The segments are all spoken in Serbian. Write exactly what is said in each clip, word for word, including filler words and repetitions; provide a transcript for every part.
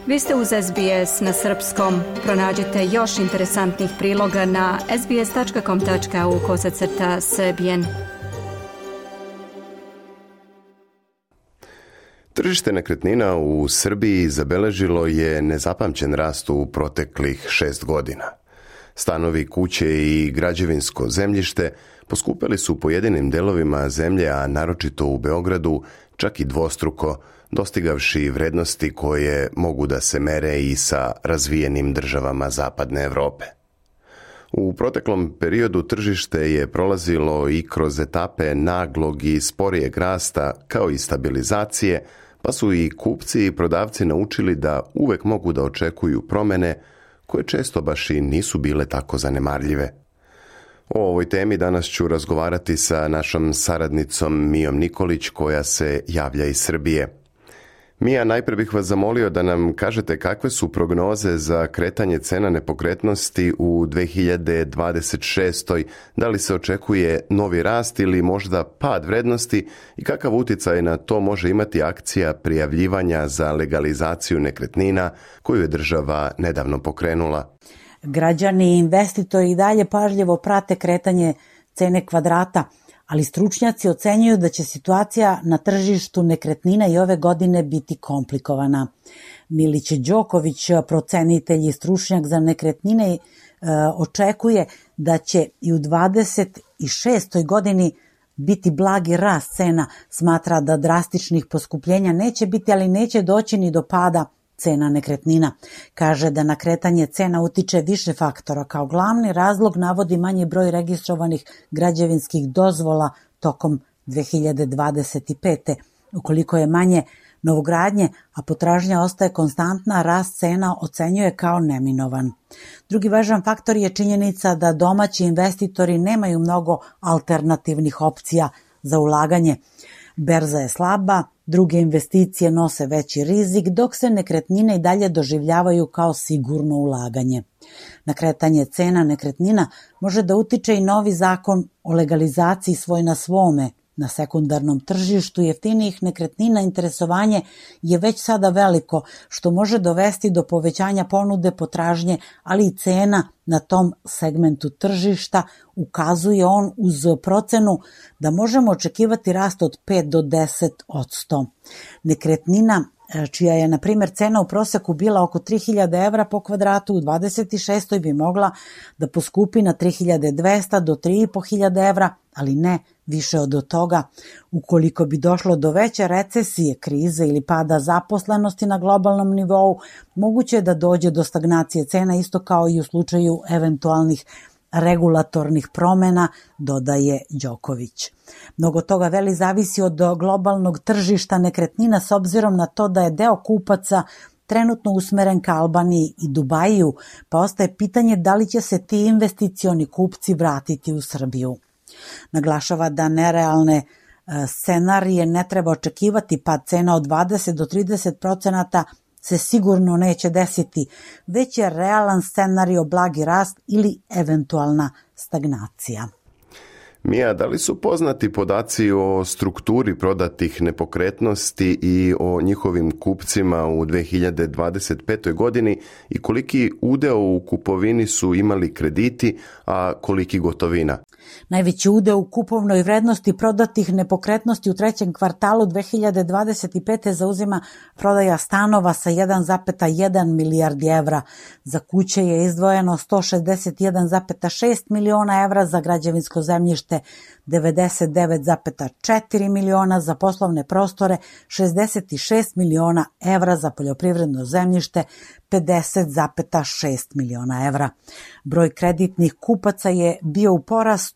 Vi ste uz S B S na srpskom. Pronađite još interesantnih priloga na sbs tačka com tačka au kosacrta srbijen. Tržište nekretnina u Srbiji zabeležilo je nezapamćen rast u proteklih šest godina. Stanovi, kuće i građevinsko zemljište poskupili su u pojedinim delovima zemlje, a naročito u Beogradu čak i dvostruko, dostigavši vrednosti koje mogu da se mere i sa razvijenim državama zapadne Evrope. U proteklom periodu tržište je prolazilo i kroz etape naglog i sporijeg rasta kao i stabilizacije, pa su i kupci i prodavci naučili da uvek mogu da očekuju promene koje često baš i nisu bile tako zanemarljive. O ovoj temi danas ću razgovarati sa našom saradnicom Mijom Nikolić koja se javlja iz Srbije. Mija, najprije bih vas zamolio da nam kažete kakve su prognoze za kretanje cena nepokretnosti u dve hiljade dvadeset šestoj. Da li se očekuje novi rast ili možda pad vrednosti i kakav utjecaj na to može imati akcija prijavljivanja za legalizaciju nekretnina koju je država nedavno pokrenula? Građani i investitori i dalje pažljivo prate kretanje cene kvadrata, ali stručnjaci ocenjuju da će situacija na tržištu nekretnina i ove godine biti komplikovana. Milić Đoković, procenitelj i stručnjak za nekretnine, očekuje da će i u dvadeset šestoj godini biti blagi rast cena. Smatra da drastičnih poskupljenja neće biti, ali neće doći ni do pada cena nekretnina. Kaže da na kretanje cena utiče više faktora. Kao glavni razlog navodi manji broj registrovanih građevinskih dozvola tokom dve hiljade dvadeset pete. Ukoliko je manje novogradnje, a potražnja ostaje konstantna, rast cena ocenjuje kao neminovan. Drugi važan faktor je činjenica da domaći investitori nemaju mnogo alternativnih opcija za ulaganje. Berza je slaba, druge investicije nose veći rizik, dok se nekretnine i dalje doživljavaju kao sigurno ulaganje. Na kretanje cena nekretnina može da utiče i novi zakon o legalizaciji svoj na svome. Na sekundarnom tržištu jeftinijih nekretnina interesovanje je već sada veliko, što može dovesti do povećanja ponude, potražnje, ali i cena na tom segmentu tržišta. Ukazuje on uz procenu da možemo očekivati rast od pet do deset posto. Nekretnina čija je, na primjer, cena u proseku bila oko tri hiljade evra po kvadratu, u dvadeset šestoj bi mogla da poskupi na tri hiljade dvesta do tri i po hiljade evra, ali ne više od toga. Ukoliko bi došlo do veće recesije, krize ili pada zaposlenosti na globalnom nivou, moguće je da dođe do stagnacije cena, isto kao i u slučaju eventualnih regulatornih promena, dodaje Đoković. Mnogo toga veli zavisi od globalnog tržišta nekretnina, s obzirom na to da je deo kupaca trenutno usmeren ka Albaniji i Dubaju, pa ostaje pitanje da li će se ti investicioni kupci vratiti u Srbiju. Naglašava da nerealne scenarije ne treba očekivati, pa cena od dvadeset do trideset procenata se sigurno neće desiti, već je realan scenario blagi rast ili eventualna stagnacija. Mija, da li su poznati podaci o strukturi prodatih nepokretnosti i o njihovim kupcima u dve hiljade dvadeset petoj godini i koliki udeo u kupovini su imali krediti, a koliki gotovina? Najveći udeo u kupovnoj vrednosti prodatih nepokretnosti u trećem kvartalu dve hiljade dvadeset pete zauzima prodaja stanova sa jedan zarez jedan milijardi evra. Za kuće je izdvojeno sto šezdeset jedan zarez šest miliona evra, za građevinsko zemljište devedeset devet zarez četiri miliona, za poslovne prostore šezdeset šest miliona evra, za poljoprivredno zemljište pedeset zarez šest miliona evra. Broj kreditnih kupaca je bio u porastu.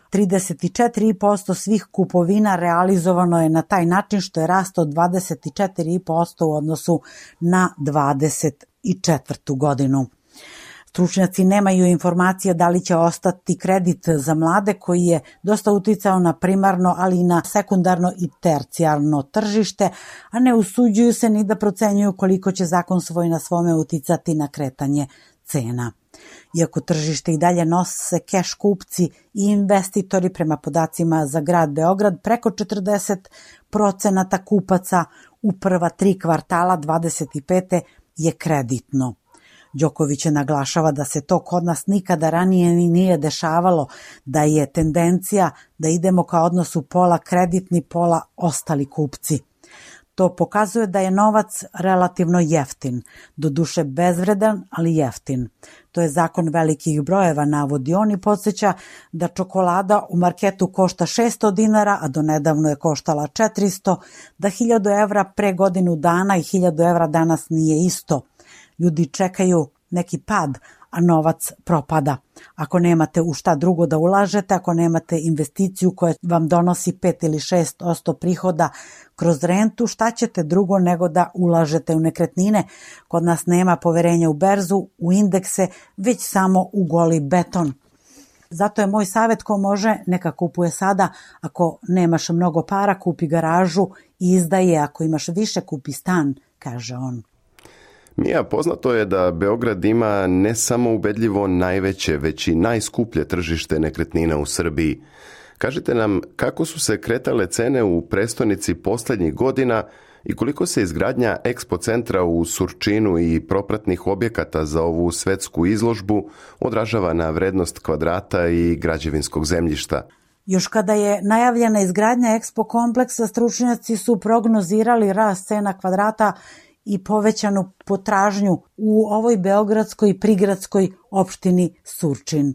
trideset četiri posto svih kupovina realizovano je na taj način, što je rast od dvadeset četiri posto u odnosu na dvadeset četvrtu godinu. Stručnjaci nemaju informacije da li će ostati kredit za mlade, koji je dosta uticao na primarno, ali i na sekundarno i tercijarno tržište, a ne usuđuju se ni da procenjuju koliko će zakon svoj na svome uticati na kretanje cena. Iako tržište i dalje nose keš kupci i investitori, prema podacima za grad Beograd, preko četrdeset procenata kupaca u prva tri kvartala dvadeset pete je kreditno. Đoković naglašava da se to kod nas nikada ranije ni nije dešavalo, da je tendencija da idemo ka odnosu pola kreditni, pola ostali kupci. To pokazuje da je novac relativno jeftin, doduše bezvredan, ali jeftin. To je zakon velikih brojeva, navodi on, i podsjeća da čokolada u marketu košta šesto dinara, a donedavno je koštala četiristo, da hiljadu evra pre godinu dana i hiljadu evra danas nije isto. Ljudi čekaju neki pad, a novac propada. Ako nemate u šta drugo da ulažete, ako nemate investiciju koja vam donosi pet ili šest posto prihoda kroz rentu, šta ćete drugo nego da ulažete u nekretnine? Kod nas nema poverenja u berzu, u indekse, već samo u goli beton. Zato je moj savjet, ko može, neka kupuje sada. Ako nemaš mnogo para, kupi garažu i izdaje. Ako imaš više, kupi stan, kaže on. Mija, poznato je da Beograd ima ne samo ubedljivo najveće, već i najskuplje tržište nekretnina u Srbiji. Kažite nam kako su se kretale cene u prestonici posljednjih godina i koliko se izgradnja Expo centra u Surčinu i propratnih objekata za ovu svetsku izložbu odražava na vrednost kvadrata i građevinskog zemljišta. Još kada je najavljena izgradnja Expo kompleksa, stručnjaci su prognozirali rast cena kvadrata i povećanu potražnju u ovoj beogradskoj prigradskoj opštini Surčin.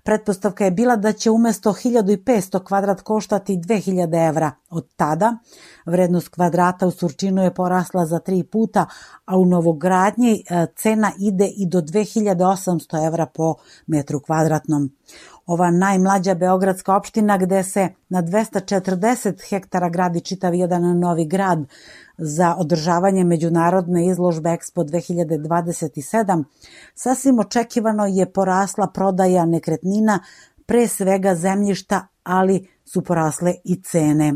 Pretpostavka je bila da će umjesto hiljadu petsto kvadrat koštati dve hiljade evra. Od tada vrednost kvadrata u Surčinu je porasla za tri puta, a u novogradnji cena ide i do dve hiljade osamsto evra po metru kvadratnom. Ova najmlađa beogradska opština, gde se na dvesta četrdeset hektara gradi čitav jedan novi grad za održavanje međunarodne izložbe Expo dve hiljade dvadeset sedam, sasvim očekivano je porasla prodaja nekretnina, pre svega zemljišta, ali su porasle i cene.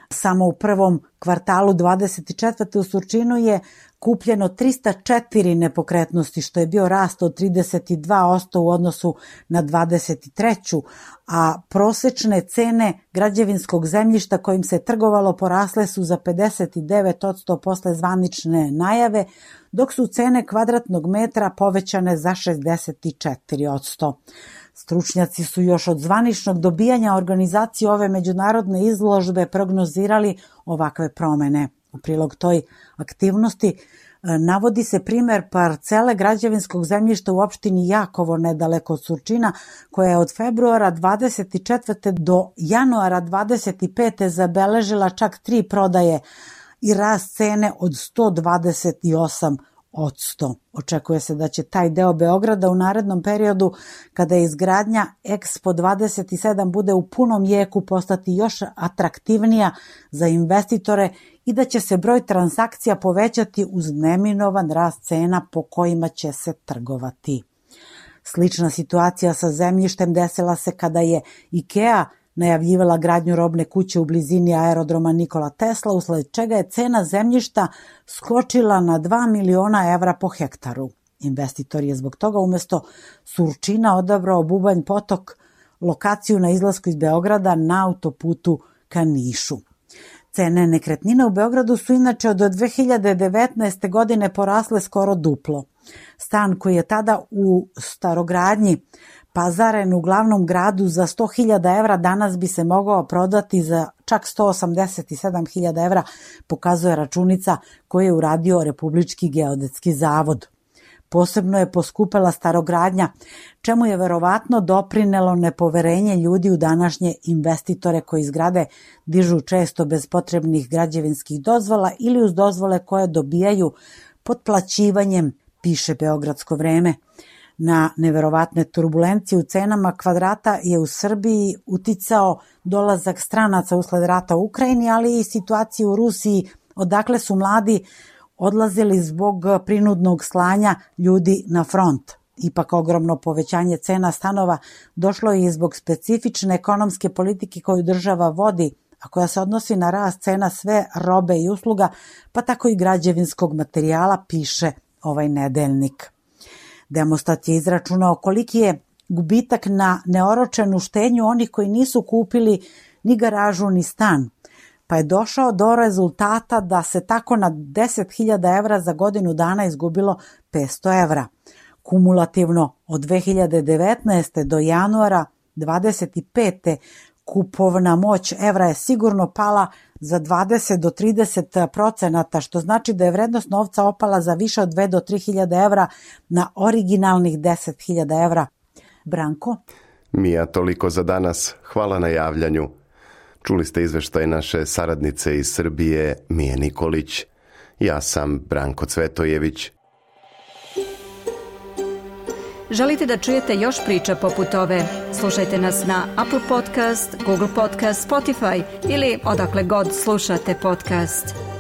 Samo u prvom kvartalu dvadeset četvrte u Surčinu je kupljeno trista četiri nepokretnosti, što je bio rast od trideset dva posto u odnosu na dvadeset treću, a prosečne cene građevinskog zemljišta kojim se trgovalo porasle su za pedeset devet posto posle zvanične najave, dok su cene kvadratnog metra povećane za šezdeset četiri posto. Stručnjaci su još od zvaničnog dobijanja organizacije ove međunarodne izložbe prognozirali ovakve promene. U prilog toj aktivnosti navodi se primer parcele građevinskog zemljišta u opštini Jakovo, nedaleko od Surčina, koja je od februara dvadeset četvrte do januara dvadeset pete zabeležila čak tri prodaje i rast cene od sto dvadeset osam posto. Očekuje se da će taj deo Beograda u narednom periodu, kada je izgradnja Expo dvadeset sedam bude u punom jeku, postati još atraktivnija za investitore i da će se broj transakcija povećati uz neminovan rast cena po kojima će se trgovati. Slična situacija sa zemljištem desila se kada je IKEA najavljivala gradnju robne kuće u blizini aerodroma Nikola Tesla, usled čega je cena zemljišta skočila na dva miliona evra po hektaru. Investitor je zbog toga umjesto Surčina odabrao Bubanj Potok, lokaciju na izlasku iz Beograda na autoputu ka Nišu. Cene nekretnina u Beogradu su inače od dve hiljade devetnaeste. godine porasle skoro duplo. Stan koji je tada u starogradnji pazaren u glavnom gradu za sto hiljada evra danas bi se mogao prodati za čak sto osamdeset sedam hiljada evra, pokazuje računica koju je uradio Republički geodetski zavod. Posebno je poskupela starogradnja, čemu je verovatno doprinelo nepoverenje ljudi u današnje investitore koji zgrade dižu često bez potrebnih građevinskih dozvola ili uz dozvole koje dobijaju potplaćivanjem, piše Beogradsko vreme. Na neverovatne turbulencije u cenama kvadrata je u Srbiji uticao dolazak stranaca usled rata u Ukrajini, ali i situacija u Rusiji, odakle su mladi odlazili zbog prinudnog slanja ljudi na front. Ipak ogromno povećanje cena stanova došlo je i zbog specifične ekonomske politike koju država vodi, a koja se odnosi na rast cena sve robe i usluga, pa tako i građevinskog materijala, piše ovaj nedeljnik. Demostat je izračunao koliki je gubitak na neoročenu štednju onih koji nisu kupili ni garažu ni stan, pa je došao do rezultata da se tako na deset hiljada evra za godinu dana izgubilo petsto evra. Kumulativno od dve hiljade devetnaeste. do januara dvadeset pete. kupovna moć evra je sigurno pala za dvadeset do trideset procenata, što znači da je vrednost novca opala za više od dve do tri hiljade evra na originalnih deset hiljada evra. Branko? Mija, toliko za danas. Hvala na javljanju. Čuli ste izveštaj naše saradnice iz Srbije, Mije Nikolić. Ja sam Branko Cvetojević. Želite da čujete još priča poput ove? Slušajte nas na Apple Podcast, Google Podcast, Spotify ili odakle god slušate podcast.